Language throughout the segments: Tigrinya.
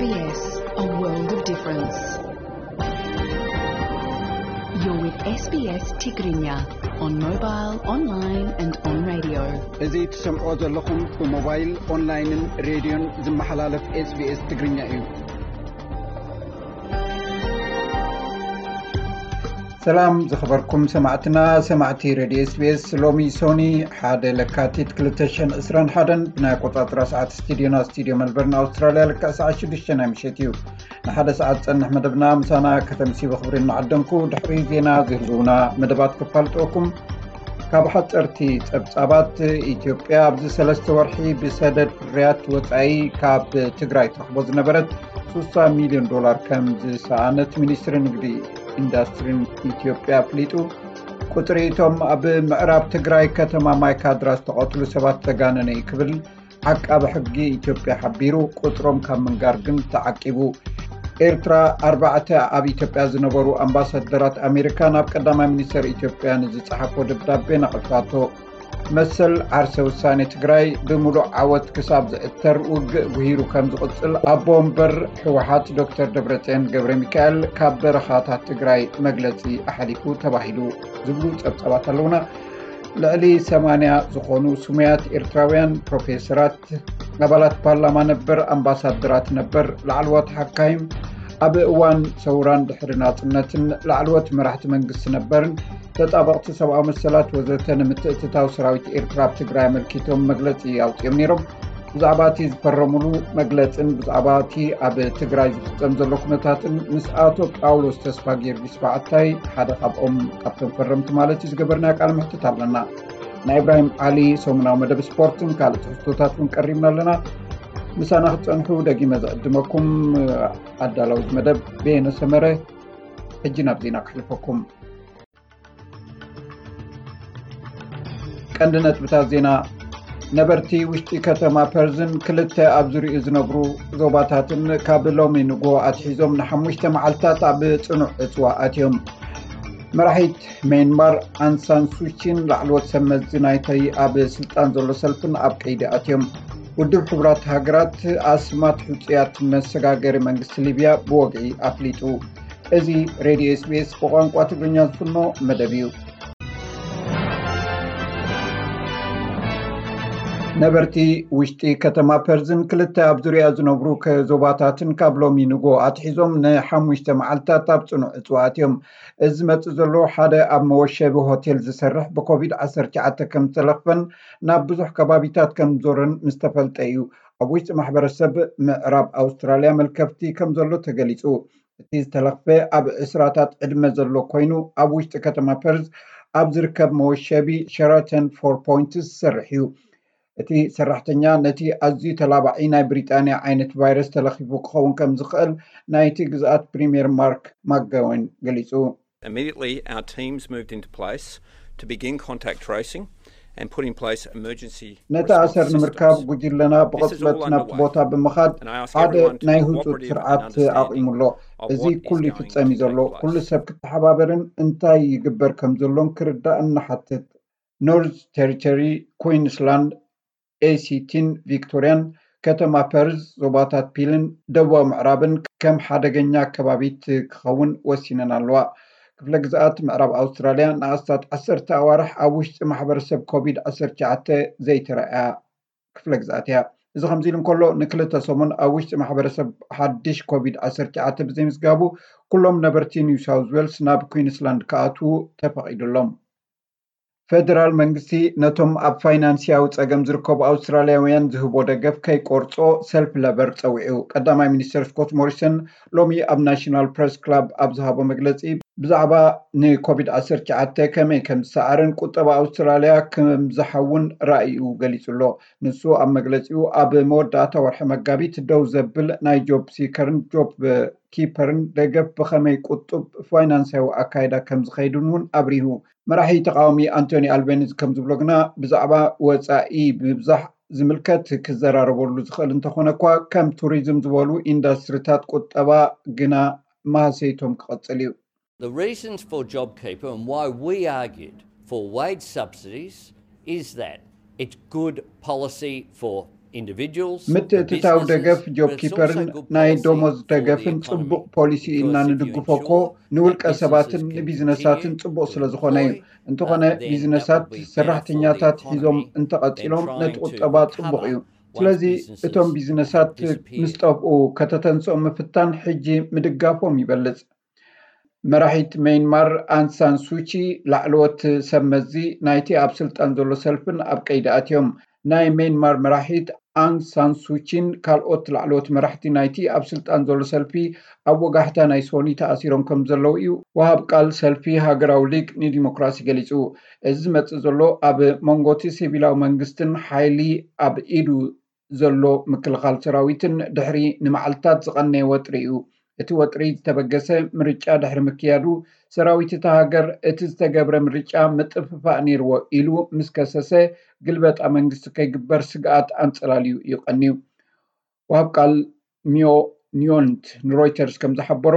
S B S, a world of difference. You're with S B S Tigrinya on mobile, online and on radio. እዚ ትሰምዖ ዘለኹም ብሞባይል፣ ኦንላይንን ሬድዮን ዝመሓላለፍ S B S ትግርኛ እዩ። ሰላም ዝኸበርኩም ሰማዕትና፣ ሰማዕቲ ሬድዮ S B S። ሎሚ ሶኒ ሓደ ለካቲት ክልተ ሽሕን ዕስራን ሓደን ብናይ ኣቆጻጽራ ሰዓት ስቱዲዮና፣ ስቱዲዮ መልበርን ኣውስትራልያ፣ ልክዕ ሰዓት ሽዱሽተ ናይ ምሸት እዩ። ንሓደ ሰዓት ጸንሕ መደብና ምሳና ከተምሲ ብኽብሪ እናዓደምኩ፣ ድሕሪ ዜና ዝህልውና መደባት ክፋልጠኩም። ካብ ሓጸርቲ ጸብጻባት፣ ኢትዮጵያ ኣብዚ ሰለስተ ወርሒ ብሰደድ ፍርያት ወጻኢ ካብ ትግራይ ትረኽቦ ዝነበረት ስሳ ሚልዮን ዶላር ከም ዝሰኣነት ሚኒስትሪ ንግዲ ኢንዱስትሪን ኢትዮጵያ ኣፍሊጡ። ቁጽሪ እቶም ኣብ ምዕራብ ትግራይ ከተማ ማይካድራ ዝተቐትሉ ሰባት ዘጋነነ እዩ ክብል ዓቃቢ ሕጊ ኢትዮጵያ ሓቢሩ። ቁጽሮም ካብ ምንጋር ግን ተዓቂቡ። ኤርትራ ኣርባዕተ ኣብ ኢትዮጵያ ዝነበሩ ኣምባሳደራት ኣሜሪካ ናብ ቀዳማይ ሚኒስተር ኢትዮጵያ ንዝጸሓፎ ደብዳቤ ነቒፋቶ። መሰል ዓርሰ ውሳኔ ትግራይ ብምሉእ ዓወት ክሳብ ዝዕተር ውግእ ጉሂሩ ከም ዝቕጽል ኣቦ ወንበር ህወሓት ዶክተር ደብረጽዮን ገብረ ሚካኤል ካብ በረኻታት ትግራይ መግለጺ ኣሕሊፉ ተባሂሉ ዝብሉ ጸብጻባት ኣለውና። ልዕሊ ሰማንያ ዝኾኑ ስሙያት ኤርትራውያን ፕሮፌሰራት፣ ኣባላት ፓርላማ ነበር፣ ኣምባሳደራት ነበር፣ ላዕለዎት ሓካይም፣ ኣብ እዋን ሰውራን ድሕሪ ናጽነትን ላዕለዎት መራሕቲ መንግስቲ ነበርን፣ ተጣበቕቲ ሰብኣዊ መሰላት ወዘተ ንምትእትታው ሰራዊት ኤርትራ ኣብ ትግራይ ኣመልኪቶም መግለጺ ኣውጺኦም ነይሮም። ብዛዕባ እቲ ዝፈረሙሉ መግለጽን ብዛዕባ እቲ ኣብ ትግራይ ዝፍጸም ዘሎ ኩነታትን ምስ ኣቶ ጳውሎስ ተስፋ ጊዮርጊስ በዓታይ፣ ሓደ ካብኦም፣ ካብቶም ፈረምቲ ማለት እዩ፣ ዝገበርናዮ ቃለ መሕትት ኣለና። ናይ ኢብራሂም ዓሊ ሰሙናዊ መደብ ስፖርትን ካልእ ትሕዝቶታት እውን ቀሪብና ኣለና። ምሳና ክትጸንሑ ደጊመ ዝዕድመኩም ኣዳላዊ መደብ በየነ ሰመረ። ሕጂ ናብ ዜና ክሕልፈኩም። ቀንዲ ነጥብታት ዜና። ነበርቲ ውሽጢ ከተማ ፐርዝን ክልተ ኣብ ዙሪኡ ዝነብሩ ዞባታትን ካብ ሎሚ ንግሆ ኣትሒዞም ንሓሙሽተ መዓልታት ኣብ ጽኑዕ ዕጽዋ ኣትዮም። መራሒት ሜንማር ኣንሳን ሱቺን ላዕለዎት ሰብ መዚ ናይቲ ኣብ ስልጣን ዘሎ ሰልፍን ኣብ ቀይዲ ኣትዮም። ውድብ ሕቡራት ሃገራት ኣስማት ሕጹያት መሰጋገሪ መንግስቲ ሊብያ ብወግዒ ኣፍሊጡ። እዚ ሬድዮ S B S ብቋንቋ ትግርኛ ዝፍኖ መደብ እዩ። ነበርቲ ውሽጢ ከተማ ፐርዝን ክልተ ኣብ ዙሪያ ዝነብሩ ከ-፣ ዞባታትን ካብ ሎሚ ንግሆ ኣትሒዞም ንሓሙሽተ መዓልታት ኣብ ጽኑዕ ዕጽዋ ኣትዮም። እዚ ዝመጽእ ዘሎ ሓደ ኣብ መወሸቢ ሆቴል ዝሰርሕ ብኮቪድ ዓሰርተ ትሽዓተ ከም ዝተለኽፈን ናብ ብዙሕ ከባቢታት ከም ዞረን ምስ ተፈልጠ እዩ። ኣብ ውሽጢ ማሕበረሰብ ምዕራብ ኣውስትራልያ መልከፍቲ ከም ዘሎ ተገሊጹ። እቲ ዝተለኽፈ ኣብ ዕስራታት ዕድመ ዘሎ ኮይኑ፣ ኣብ ውሽጢ ከተማ ፐርዝ ኣብ ዝርከብ መወሸቢ ሸራተን ፎር ፖይንትስ ዝሰርሕ እዩ። እቲ ሰራሕተኛ ነቲ ኣዝዩ ተላባዒ ናይ ብሪጣንያ ዓይነት ቫይረስ ተለኺፉ ክኸውን ከም ዝኽእል ናይቲ ግዝኣት ፕሪምየር ማርክ ማክጎወን ገሊጹ። Immediately, our teams moved into place to begin contact tracing and put in place emergency ነቲ ኣሰር ንምርካብ ጉጅለና ብቕጽበት ናብቲ ቦታ ብምኻድ ሓደ ናይ ህጹጽ ስርዓት ኣቑሙ ኣሎ። እዚ ኩሉ ይፍጸም እዩ ዘሎ። ኩሉ ሰብ ክተሓባበርን እንታይ ይግበር ከም ዘሎን ክርዳእን ንሓትት። ኖርዝ ቴሪቶሪ፣ ኩዊንስላንድ፣ ኤሲቲን ቪክቶሪያን፣ ከተማ ፐርዝ፣ ዞባታት ፒልን ደቡባዊ ምዕራብን ከም ሓደገኛ ከባቢት ክኸውን ወሲነን ኣለዋ። ክፍለ ግዝኣት ምዕራብ ኣውስትራልያ ንኣስታት ዓሰርተ ኣዋርሕ ኣብ ውሽጢ ማሕበረሰብ ኮቪድ ዓሰርተ ትሽዓተ ዘይተረኣያ ክፍለ ግዝኣት እያ። እዚ ከምዚ ኢሉ እንከሎ፣ ንክልተ ሰሙን ኣብ ውሽጢ ማሕበረሰብ ሓድሽ ኮቪድ ዓሰርተ ትሽዓተ ብዘይምዝጋቡ፣ ኩሎም ነበርቲ ኒው ሳውዝ ዌልስ ናብ ኩዊንስላንድ ክኣትዉ ተፈቒዱሎም። ፌደራል መንግስቲ ነቶም ኣብ ፋይናንስያዊ ጸገም ዝርከቡ ኣውስትራልያውያን ዝህቦ ደገፍ ከይቆርጾ ሰልፍ ለበር ጸዊዑ። ቀዳማይ ሚኒስተር ስኮት ሞሪሰን ሎሚ ኣብ ናሽናል ፕረስ ክላብ ኣብ ዝሃቦ መግለጺ፣ ብዛዕባ ንኮቪድ ዓሰርተ ትሽዓተ ከመይ ከም ዝሰዓርን ቁጠባ ኣውስትራልያ ከም ዝሓውን ራእዩ ገሊጹ ኣሎ። ንሱ ኣብ መግለጺኡ፣ ኣብ መወዳእታ ወርሒ መጋቢት ደው ዘብል ናይ ጆብ ሲከርን ጆብ ኪፐርን ደገፍ ብኸመይ ቁጡብ ፋይናንሳዊ ኣካይዳ ከም ዝኸይድን እውን ኣብሪሁ። መራሒ ተቃዋሚ ኣንቶኒ ኣልቤኒዝ ከም ዝብሎ ግና፣ ብዛዕባ ወጻኢ ብምብዛሕ ዝምልከት ክዘራረበሉ ዝኽእል እንተኾነ እኳ፣ ከም ቱሪዝም ዝበሉ ኢንዱስትሪታት ቁጠባ ግና ማህሰይቶም ክቐጽል እዩ። The reasons for JobKeeper and why we argued for wage subsidies is that it's good policy for ምትእትታው ደገፍ ጆብ ኪፐርን ናይ ደሞዝ ደገፍን ጽቡቕ ፖሊሲ እዩ እና ንድግፎ እኮ ንውልቀ ሰባትን ንቢዝነሳትን ጽቡቕ ስለ ዝኾነ እዩ። እንተኾነ ቢዝነሳት ሰራሕተኛታት ሒዞም እንተቐጺሎም ነቲ ቁጠባ ጽቡቕ እዩ። ስለዚ እቶም ቢዝነሳት ምስ ጠፍኡ ከተተንስኦም ምፍታን ሕጂ ምድጋፎም ይበልጽ። መራሒት ሜይንማር ኣንሳን ሱቺ ላዕለዎት ሰብ መዚ ናይቲ ኣብ ስልጣን ዘሎ ሰልፍን ኣብ ቀይዲ ኣትዮም። ናይ ሜይንማር መራሒት ኣንግ ሳን ሱቺን ካልኦት ላዕለዎት መራሕቲ ናይቲ ኣብ ስልጣን ዘሎ ሰልፊ ኣብ ወጋሕታ ናይ ሶኒ ተኣሲሮም ከም ዘለዉ እዩ ወሃብ ቃል ሰልፊ ሃገራዊ ሊግ ንዲሞክራሲ ገሊጹ። እዚ ዝመጽእ ዘሎ ኣብ መንጎ እቲ ሲቪላዊ መንግስትን ሓይሊ ኣብ ኢዱ ዘሎ ምክልኻል ሰራዊትን ድሕሪ ንመዓልታት ዝቐነየ ወጥሪ እዩ። እቲ ወጥሪ ዝተበገሰ ምርጫ ድሕሪ ምክያዱ ሰራዊት እታ ሃገር እቲ ዝተገብረ ምርጫ ምጥፍፋእ ነይርዎ ኢሉ ምስ ከሰሰ ግልበጣ መንግስቲ ከይግበር ስግኣት ኣንጸላልዩ እዩ ቀንዩ። ወሃብ ቃል ሚዮ ኒዮንት ንሮይተርስ ከም ዝሓበሮ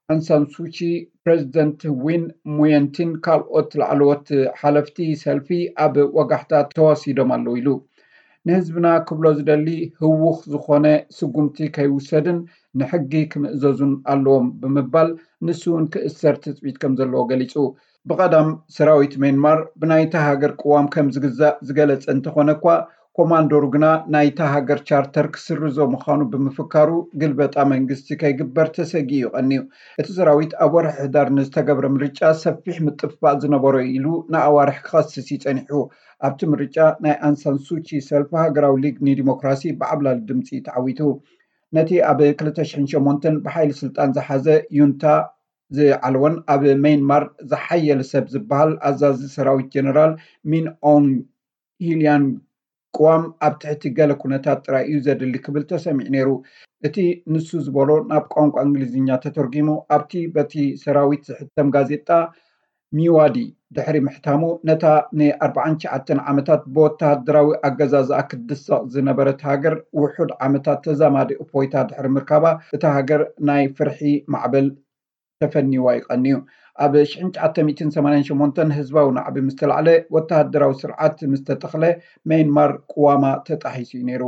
ኣንሳን ሱቺ ፕሬዚደንት ዊን ሙየንቲን ካልኦት ላዕለዎት ሓለፍቲ ሰልፊ ኣብ ወጋሕታ ተዋሲዶም ኣለዉ ኢሉ። ንህዝብና ክብሎ ዝደሊ ህዉኽ ዝኾነ ስጉምቲ ከይውሰድን ንሕጊ ክምእዘዙን ኣለዎም ብምባል ንሱ እውን ክእሰር ትፅቢት ከም ዘለዎ ገሊፁ። ብቐዳም ሰራዊት ሜንማር ብናይታ ሃገር ቅዋም ከም ዝግዛእ ዝገለጸ እንተኾነ እኳ ኮማንዶሩ ግና ናይታ ሃገር ቻርተር ክስርዞ ምዃኑ ብምፍካሩ ግልበጣ መንግስቲ ከይግበር ተሰጊኡ እዩ ቀንዩ። እቲ ሰራዊት ኣብ ወርሒ ሕዳር ንዝተገብረ ምርጫ ሰፊሕ ምጥፍፋእ ዝነበሮ ኢሉ ንኣዋርሕ ክኸስስ እዩ ጸኒሑ። ኣብቲ ምርጫ ናይ ኣንሳን ሱቺ ሰልፊ ሃገራዊ ሊግ ንዲሞክራሲ ብዓብላሊ ድምፂ ተዓዊቱ። ነቲ ኣብ ክልተ ሽሕን ሸሞንተን ብሓይሊ ስልጣን ዝሓዘ ዩንታ ዝዓለወን ኣብ ሜንማር ዝሓየለ ሰብ ዝበሃል ኣዛዚ ሰራዊት ጀነራል ሚን ኦንግ ሂልያን ቅዋም ኣብ ትሕቲ ገለ ኩነታት ጥራይ እዩ ዘድሊ ክብል ተሰሚዑ ነይሩ። እቲ ንሱ ዝበሎ ናብ ቋንቋ እንግሊዝኛ ተተርጒሙ ኣብቲ በቲ ሰራዊት ዝሕተም ጋዜጣ ሚዋዲ ድሕሪ ምሕታሙ ነታ ንኣርባዓን ትሽዓተን ዓመታት ብወተሃደራዊ ኣገዛዝኣ ክትድሰቕ ዝነበረት ሃገር ውሑድ ዓመታት ተዛማዲ እፎይታ ድሕሪ ምርካባ እታ ሃገር ናይ ፍርሒ ማዕበል ተፈኒዋ ይቐንዩ። ኣብ ሽሕን ትሽዓተ ሚእትን ሰማንያን ሸሞንተን ህዝባዊ ናዕቢ ምስ ተላዕለ ወተሃደራዊ ስርዓት ምስ ተተኽለ ሜንማር ቅዋማ ተጣሒሱ እዩ ነይሩ።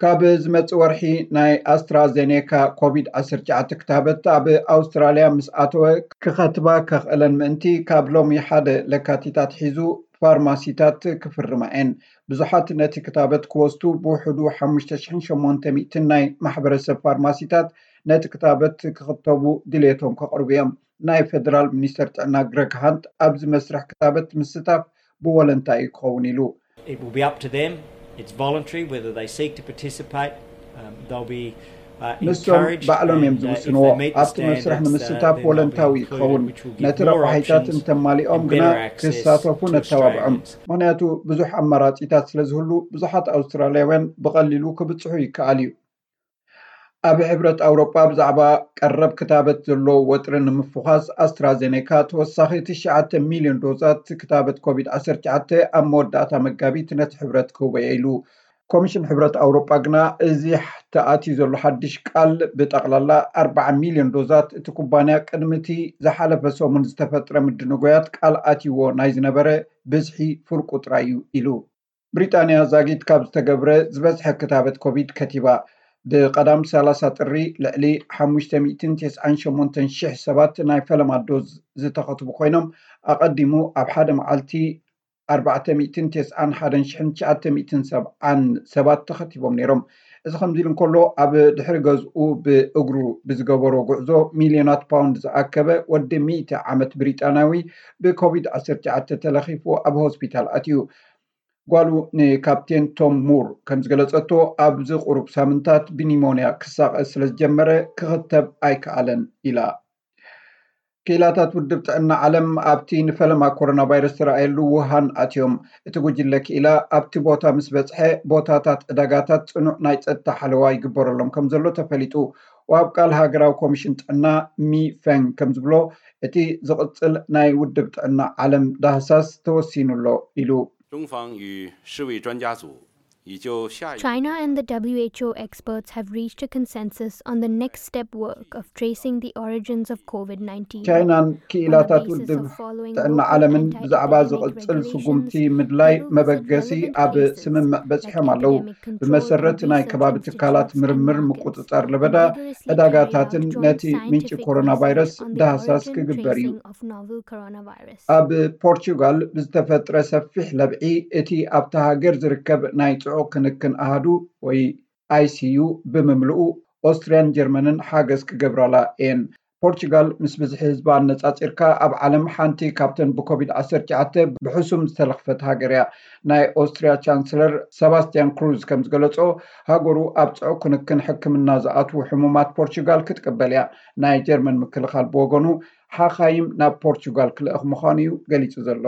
ካብ ዝመጽእ ወርሒ ናይ ኣስትራዜኔካ ኮቪድ ዓሰርተ ትሽዓተ ክታበት ኣብ ኣውስትራልያ ምስ ኣተወ ክኸትባ ከኽእለን ምእንቲ ካብ ሎሚ ሓደ ለካቲት ኣትሒዙ ፋርማሲታት ክፍርማ እየን። ብዙሓት ነቲ ክታበት ክወስዱ ብውሕዱ ሓሙሽተ ሽሕን ሸሞንተ ሚእትን ናይ ማሕበረሰብ ፋርማሲታት ነቲ ክታበት ክኽተቡ ድሌቶም ከቕርቡ እዮም። ናይ ፌደራል ሚኒስተር ጥዕና ግረግ ሃንት ኣብዚ መስርሕ ክታበት ምስታፍ ብወለንታ እዩ ክኸውን ኢሉ። It will be up to them. It's voluntary whether they seek to participate. Um, they'll be uh, ንሶም ባዕሎም እዮም ዝውስንዎ። ኣብቲ መስርሕ ንምስታፍ ወለንታዊ ክኸውን፣ ነቲ ረቋሒታት እንተማሊኦም ግና ክሳተፉ ነተባብዖም። ምክንያቱ ብዙሕ ኣማራፂታት ስለ ዝህሉ ብዙሓት ኣውስትራልያውያን ብቐሊሉ ክብፅሑ ይከኣል እዩ። ኣብ ሕብረት ኣውሮጳ ብዛዕባ ቀረብ ክታበት ዘሎ ወጥሪ ንምፍዃስ ኣስትራዜኔካ ተወሳኺ ትሽዓተ ሚልዮን ዶዛት ክታበት ኮቪድ ዓሰርተ ትሽዓተ ኣብ መወዳእታ መጋቢት ነቲ ሕብረት ክህቦ እየ ኢሉ። ኮሚሽን ሕብረት ኣውሮጳ ግና እዚ ተኣትዩ ዘሎ ሓድሽ ቃል ብጠቕላላ ኣርባዓ ሚልዮን ዶዛት እቲ ኩባንያ ቅድሚ እቲ ዝሓለፈ ሰሙን ዝተፈጥረ ምድንጎያት ቃል ኣትይዎ ናይ ዝነበረ ብዝሒ ፍርቁ ጥራይ እዩ ኢሉ። ብሪጣንያ ዛጊት ካብ ዝተገብረ ዝበዝሐ ክታበት ኮቪድ ከቲባ። ብቐዳም ሰላሳ ጥሪ ልዕሊ ሓሙሽተ ሚእትን ተስዓን ሸሞንተን ሽሕ ሰባት ናይ ፈለማ ዶዝ ዝተኸትቡ ኮይኖም ኣቐዲሙ ኣብ ሓደ መዓልቲ ኣርባዕተ ሚእትን ተስዓን ሓደን ሽሕን ትሽዓተ ሚእትን ሰብዓን ሰባት ተኸቲቦም ነይሮም። እዚ ከምዚ ኢሉ እንከሎ ኣብ ድሕሪ ገዝኡ ብእግሩ ብዝገበሮ ጉዕዞ ሚልዮናት ፓውንድ ዝኣከበ ወዲ ሚእቲ ዓመት ብሪጣንያዊ ብኮቪድ ዓሰርተ ትሽዓተ ተለኺፉ ኣብ ሆስፒታል ኣትዩ። ጓሉ ንካፕቴን ቶም ሙር ከም ዝገለጸቶ ኣብዚ ቁሩብ ሳምንታት ብኒሞንያ ክሳቐ ስለ ዝጀመረ ክኽተብ ኣይከኣለን ኢላ። ክኢላታት ውድብ ጥዕና ዓለም ኣብቲ ንፈለማ ኮሮና ቫይረስ ዝተረኣየሉ ውሃን ኣትዮም። እቲ ጉጅለ ክኢላ ኣብቲ ቦታ ምስ በጽሐ ቦታታት ዕዳጋታት ጽኑዕ ናይ ጸጥታ ሓለዋ ይግበረሎም ከም ዘሎ ተፈሊጡ። ወሃብ ቃል ሃገራዊ ኮሚሽን ጥዕና ሚ ፈንግ ከም ዝብሎ እቲ ዝቕጽል ናይ ውድብ ጥዕና ዓለም ዳህሳስ ተወሲኑ ኣሎ ኢሉ። 中方与世卫专家组 China and the W H O experts have reached a consensus on the next step work of tracing the origins of COVID nineteen. ቻይናን ክኢላታት ውድብ ጥዕና ዓለምን ብዛዕባ ዝቕጽል ስጉምቲ ምድላይ መበገሲ ኣብ ስምምዕ በጺሖም ኣለዉ። ብመሰረት ናይ ከባቢ ትካላት ምርምር ምቁጽጻር ለበዳ፣ ዕዳጋታትን ነቲ ምንጪ ኮሮና ቫይረስ ዳህሳስ ክግበር እዩ። ኣብ ፖርቹጋል ብዝተፈጥረ ሰፊሕ ለብዒ፣ እቲ ኣብታ ሃገር ዝርከብ ናይ ጽዑቕ ክንክን ኣሃዱ ወይ I C U ብምምልኡ፣ ኦስትርያን ጀርመንን ሓገዝ ክገብራላ እየን። ፖርቹጋል ምስ ብዝሒ ህዝባ ኣነጻጺርካ ኣብ ዓለም ሓንቲ ካብተን ብኮቪድ ዓሰርተ ትሽዓተ ብሕሱም ዝተለኽፈት ሃገር እያ። ናይ ኦስትርያ ቻንስለር ሰባስቲያን ክሩዝ ከም ዝገለጾ፣ ሃገሩ ኣብ ጽዑቕ ክንክን ሕክምና ዝኣትዉ ሕሙማት ፖርቹጋል ክትቅበል እያ። ናይ ጀርመን ምክልኻል ብወገኑ፣ ሓኻይም ናብ ፖርቹጋል ክልእኽ ምዃኑ እዩ ገሊጹ ዘሎ።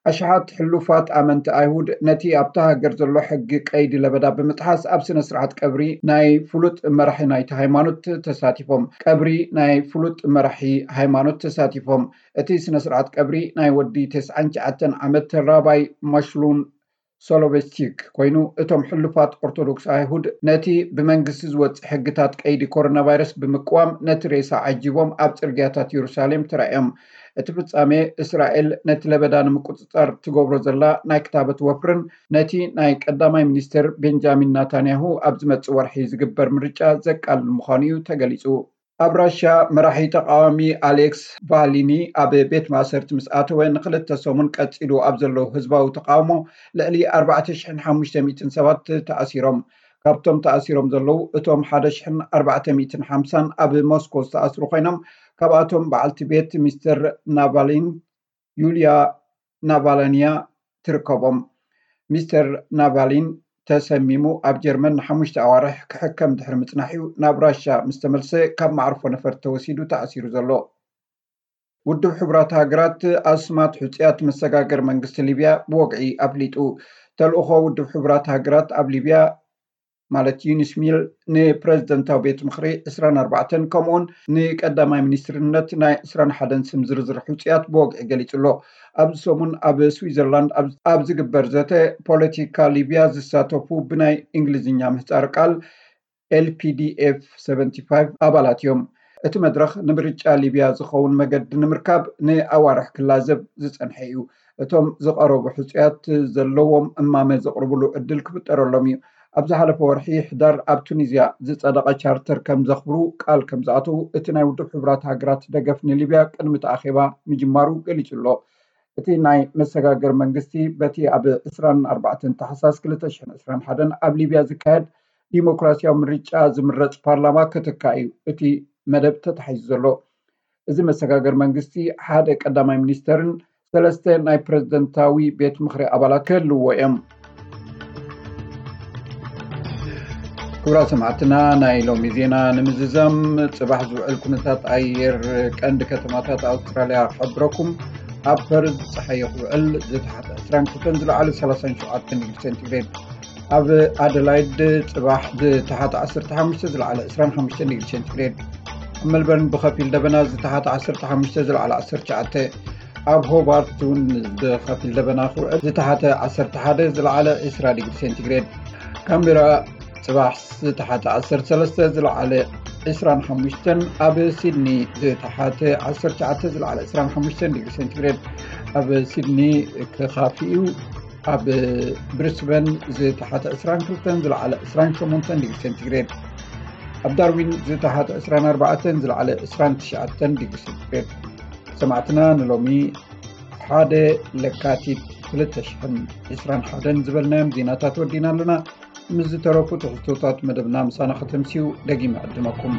ኣሽሓት ሕሉፋት ኣመንቲ ኣይሁድ ነቲ ኣብታ ሃገር ዘሎ ሕጊ ቀይዲ ለበዳ ብምጥሓስ፣ ኣብ ስነ ስርዓት ቀብሪ ናይ ፍሉጥ መራሒ ናይቲ ሃይማኖት ተሳቲፎም። ቀብሪ ናይ ፍሉጥ መራሒ ሃይማኖት ተሳቲፎም። እቲ ስነ ስርዓት ቀብሪ ናይ ወዲ ተስዓን ትሽዓተን ዓመት ራባይ ማሽሉን ሶሎቬስቲክ ኮይኑ፣ እቶም ሕሉፋት ኦርቶዶክስ ኣይሁድ ነቲ ብመንግስቲ ዝወጽእ ሕግታት ቀይዲ ኮሮና ቫይረስ ብምቅዋም፣ ነቲ ሬሳ ዓጂቦም ኣብ ጽርግያታት የሩሳሌም ተራእዮም። እቲ ፍጻሜ፣ እስራኤል ነቲ ለበዳ ንምቁጽጻር ትገብሮ ዘላ ናይ ክታበት ወፍርን ነቲ ናይ ቀዳማይ ሚኒስትር ቤንጃሚን ናታንያሁ ኣብ ዝመጽእ ወርሒ ዝግበር ምርጫ ዘቃልል ምዃኑ እዩ ተገሊጹ። ኣብ ራሽያ፣ መራሒ ተቃዋሚ ኣሌክስ ቫሊኒ ኣብ ቤት ማእሰርቲ ምስ ኣተወ፣ ንክልተ ሰሙን ቀጺሉ ኣብ ዘሎ ህዝባዊ ተቃውሞ፣ ልዕሊ ኣርባዕተ ሽሕን ሓሙሽተ ሚእትን ሰባት ተኣሲሮም። ካብቶም ተኣሲሮም ዘለዉ፣ እቶም ሓደ ሽሕን ኣርባዕተ ሚእትን ሓምሳን ኣብ ሞስኮ ዝተኣስሩ ኮይኖም፣ ካብኣቶም በዓልቲ ቤት ሚስተር ናቫሊን፣ ዩልያ ናቫላንያ፣ ትርከቦም። ሚስተር ናቫሊን ተሰሚሙ ኣብ ጀርመን ንሓሙሽተ ኣዋርሕ ክሕከም ድሕሪ ምጽናሕ እዩ ናብ ራሻ ምስ ተመልሰ፣ ካብ መዓርፎ ነፈርቲ ተወሲዱ ተኣሲሩ ዘሎ። ውድብ ሕቡራት ሃገራት ኣስማት ሕጹያት መሰጋገር መንግስቲ ሊብያ ብወግዒ ኣፍሊጡ። ተልእኾ ውድብ ሕቡራት ሃገራት ኣብ ሊብያ፣ ማለት ዩኒስ ሚል፣ ንፕረዚደንታዊ ቤት ምኽሪ ዕስራን ኣርባዕተን፣ ከምኡውን ንቀዳማይ ሚኒስትርነት ናይ ዕስራን ሓደን ስም ዝርዝር ሕጹያት ብወግዒ ገሊጹ ኣሎ። ኣብዚ ሰሙን ኣብ ስዊዘርላንድ ኣብ ዝግበር ዘተ፣ ፖለቲካ ሊብያ ዝሳተፉ ብናይ እንግሊዝኛ ምህጻር ቃል ኤል ፒ ዲ ኤፍ ሰቨንቲ ፋይቭ ኣባላት እዮም። እቲ መድረኽ፣ ንምርጫ ሊብያ ዝኸውን መገዲ ንምርካብ ንኣዋርሕ ክላዘብ ዝጸንሐ እዩ። እቶም ዝቐረቡ ሕጹያት ዘለዎም እማመ ዘቕርብሉ ዕድል ክፍጠረሎም እዩ። ኣብ ዝሓለፈ ወርሒ ሕዳር ኣብ ቱኒዝያ ዝጸደቐ ቻርተር ከም ዘኽብሩ ቃል ከም ዝኣተዉ እቲ ናይ ውድብ ሕቡራት ሃገራት ደገፍ ንሊብያ ቅድሚ እቲ ኣኼባ ምጅማሩ ገሊጹ ኣሎ። እቲ ናይ መሰጋገር መንግስቲ፣ በቲ ኣብ ዕስራን ኣርባዕተን ታሕሳስ ክልተ ሽሕን ዕስራን ሓደን ኣብ ሊብያ ዝካየድ ዲሞክራሲያዊ ምርጫ ዝምረጽ ፓርላማ ክትካ እዩ እቲ መደብ ተታሒዙ ዘሎ። እዚ መሰጋገር መንግስቲ፣ ሓደ ቀዳማይ ሚኒስተርን ሰለስተ ናይ ፕረዚደንታዊ ቤት ምኽሪ ኣባላት ክህልዎ እዮም። ክቡራት ሰማዕትና፣ ናይ ሎሚ ዜና ንምዝዛም፣ ጽባሕ ዝውዕል ኩነታት ኣየር ቀንዲ ከተማታት ኣውስትራልያ ክሕብረኩም። ኣብ ፐርዝ ጸሓይ ክውዕል፣ ዝተሓተ ዕስራን ክልተን ዝለዓለ ሰላሳን ሸውዓተን ዲግሪ ሴንቲግሬድ። ኣብ ኣደላይድ ጽባሕ ዝተሓተ ዓሰርተ ሓሙሽተ ዝለዓለ ዕስራን ሓሙሽተን ዲግሪ ሴንቲግሬድ። ኣብ መልበርን ብኸፊል ደበና ዝተሓተ ዓሰርተ ሓሙሽተ ዝለዓለ ዓሰርተ ትሽዓተ። ኣብ ሆባርት እውን ብኸፊል ደበና ክውዕል፣ ዝተሓተ ዓሰርተ ሓደ ዝለዓለ ዕስራ ዲግሪ ሴንቲግሬድ። ካምቤራ ጽባሕ ዝተሓተ ዓሰርተ ሰለስተ ዝለዓለ ዕስራን ሓሙሽተን፣ ኣብ ሲድኒ ዝተሓተ ዓሰርተ ትሽዓተ ዝለዓለ ዕስራን ሓሙሽተን ዲግሪ ሴንቲግሬድ። ኣብ ሲድኒ ክኻፊ እዩ። ኣብ ብሪስበን ዝተሓተ ዕስራን ክልተን ዝለዓለ ዕስራን ሸሞንተን ዲግሪ ሴንቲግሬድ። ኣብ ዳርዊን ዝተሓተ ዕስራን ኣርባዕተን ዝለዓለ ዕስራን ትሽዓተን ዲግሪ ሴንቲግሬድ። ሰማዕትና፣ ንሎሚ ሓደ ለካቲት ክልተ ሽሕን ዕስራን ሓደን ዝበልናዮም ዜናታት ወዲና ኣለና። ምስ ዝተረፉ ትሕዝቶታት መደብና ምሳና ከተምስዩ ደጊመ ዕድመኩም።